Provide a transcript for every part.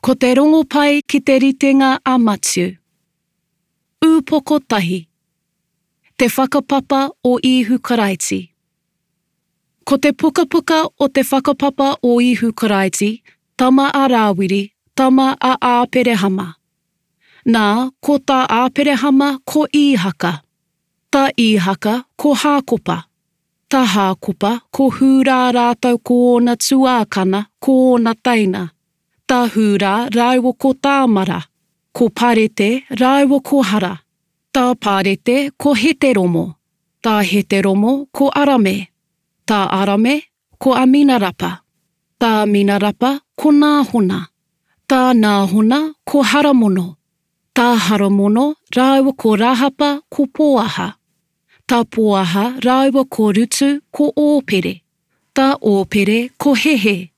Ko te Rongopai ki te ritenga a Matiu. Ūpoko tahi. Te whakapapa o Īhu Karaiti. Ko te pukapuka o te whakapapa o Īhu Karaiti, tama a Rāwiri, tama a Āperehama. Nā, ko tā Āperehama ko Īhaka. Tā Īhaka ko Hākopa. Tā Hākopa ko Hūrā rātou ko ōna tuākana, ko ōna teina. Tā Hūrā rāua ko Tāmara, ko Parete rāua ko Hara. Tā Parete ko Heteromo, tā Heteromo ko Arame, tā Arame ko Aminarapa, tā Aminarapa ko Nāhona, tā Nāhona ko Haramono, tā Haramono rāua ko Rahapa ko Poaha, tā Poaha rāua ko Rutu ko Ōpere, tā Ōpere ko Hehe,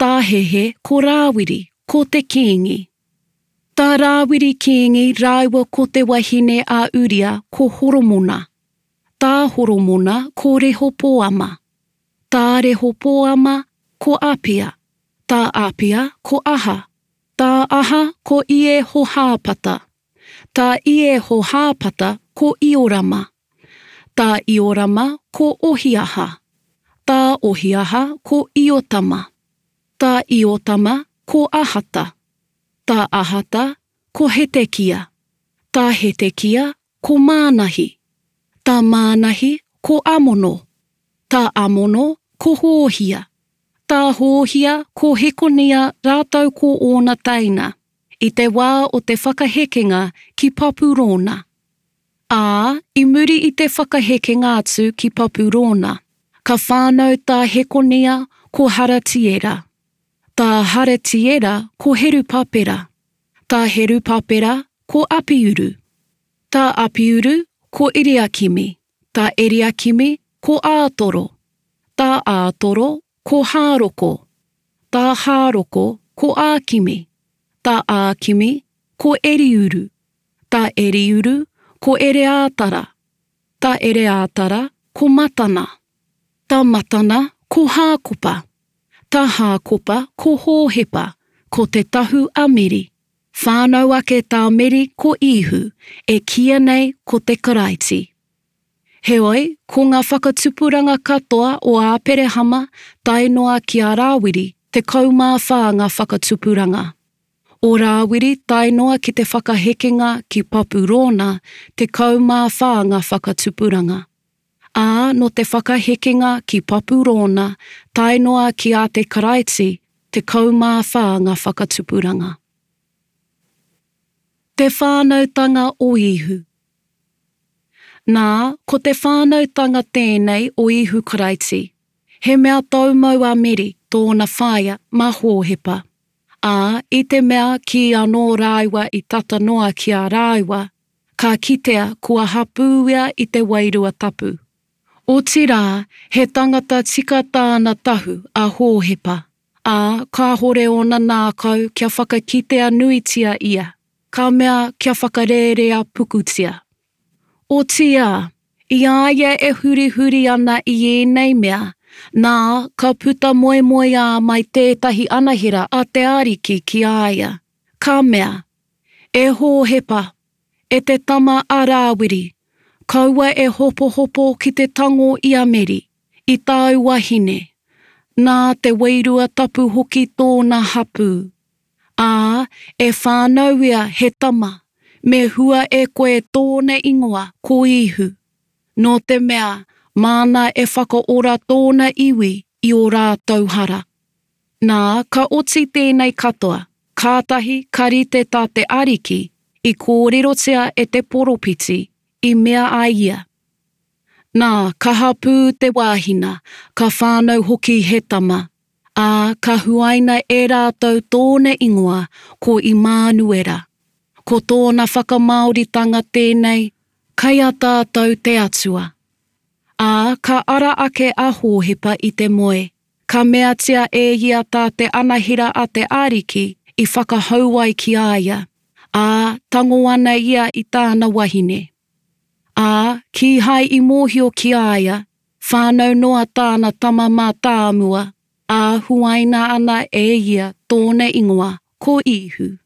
tā Hehe ko Rāwiri, ko te kīngi. Tā Rāwiri kīngi rāua ko te wahine a Uria ko Horomona, tā Horomona ko Rehopoama, tā Rehopoama ko Apia, tā Apia ko Aha, tā Aha ko Iehohāpata, tā Iehohāpata ko Iorama, tā Iorama ko Ohiaha, tā Ohiaha ko Iotama, tā Iotama ko Ahata, tā Ahata ko Hetekia, tā Hetekia ko Mānahi, tā Mānahi ko Amono, tā Amono ko Hōhia, tā Hōhia ko Hekonia rātou ko ōna teina, i te wā o te whakahekenga ki Papurōna. Ā, i muri i te whakahekenga atu ki Papurōna, ka whānau tā Hekonia ko Haratiera, tā Haratiera ko Herupapera, tā Herupapera ko Apiuru, tā Apiuru ko Eriakimi, tā Eriakimi ko Ātoro, tā Ātoro ko Hāroko, tā Hāroko ko Ākimi, tā Ākimi ko Eriuru, tā Eriuru ko Ereātara, tā Ereātara ko Matana, tā Matana ko Hākopa, tā Hākopa ko Hōhepa, ko Te Tahu a Meri. Whānau ake tā Meri ko Īhu, e kīia nei ko te Karaiti. Heoi, ko ngā whakatupuranga katoa o Āperehama tae noa ki a Rāwiri, 14 ngā whakatupuranga. O Rāwiri tae noa ki te whakahekenga ki Papurōna, 14 ngā whakatupuranga. Ā, nō te whakahekenga ki Papurōna tae noa ki a te Karaiti, 14 ngā whakatupuranga. Te whānautanga o Īhu. Nā, ko te whānautanga tēnei o Īhu Karaiti. He mea taumau a Meri, tōna whaea, mā Hōhepa. Ā, i te mea kīanō rāua i tata noa ki a rāua, ka kitea kua hapū ia i te Wairua Tapu. Otirā, he tangata tika tāna tahu a Hōhepa. Ā, kāhore ōna nākau kia whakakitea nuitia ia, ka mea kia whakarērea pukutia. Otiia, i a ia e hurihuri ana i ēnei mea, nā, ka puta moemoeā mai tētahi anahera a te Ariki ki a ia, ka mea, E Hōhepa, e te tama a Rāwiri, kaua e hopohopo ki te tango i a Meri, i tāu wahine, nā te Wairua Tapu hoki tōna hapū. Ā, e whānau ia he tama, me hua e koe tōna ingoa ko Īhu, nō te mea māna e whakaora tōna iwi i ō rātou hara. Nā, ka oti tēnei katoa, kātahi ka rite tā te Ariki i kōrerotia e te poropiti, i mea ai ia, Nā, ka hapū te wāhina, ka whānau hoki he tama, ā, ka huaina e rātou tōna ingoa ko Imānuera. Ko tōna whakamāoritanga tēnei, Kei a tātou te Atua. Ā, ka ara ake a Hōhepa i te moe, ka meatia e ia tā te anahera a te Ariki i whakahau ai ki a ia, ā, tango ana ia i tāna wahine. Ā, kīhai i mōhio ki a ia, whānau noa tāna tama mātāmua, ā, huaina ana e ia tōna ingoa, ko Īhu.